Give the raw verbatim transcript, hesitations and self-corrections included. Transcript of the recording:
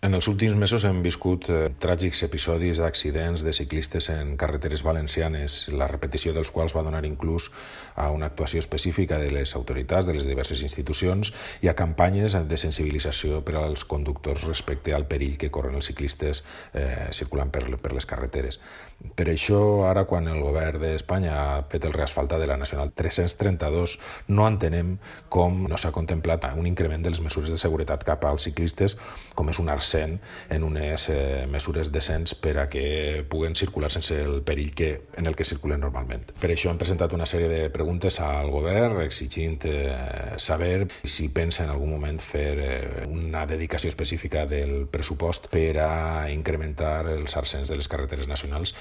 En els últims mesos hem viscut eh, tràgics episodis d'accidents de ciclistes en carreteres valencianes, la repetició dels quals va donar inclús a una actuació específica de les autoritats, de les diverses institucions i a campanyes de sensibilització per als conductors respecte al perill que corren els ciclistes eh, circulant per, per les carreteres. Per això, ara, quan el govern d'Espanya ha fet el reasfaltat de la Nacional tres-cents trenta-dos, no entenem com no s'ha contemplat un increment de les mesures de seguretat cap als ciclistes, com és un arc en unes eh, mesures decents per a que puguen circular sense el perill que, en el que circulen normalment. Per això hem presentat una sèrie de preguntes al govern exigint eh, saber si pensa en algun moment fer eh, una dedicació específica del pressupost per a incrementar els ascens de les carreteres nacionals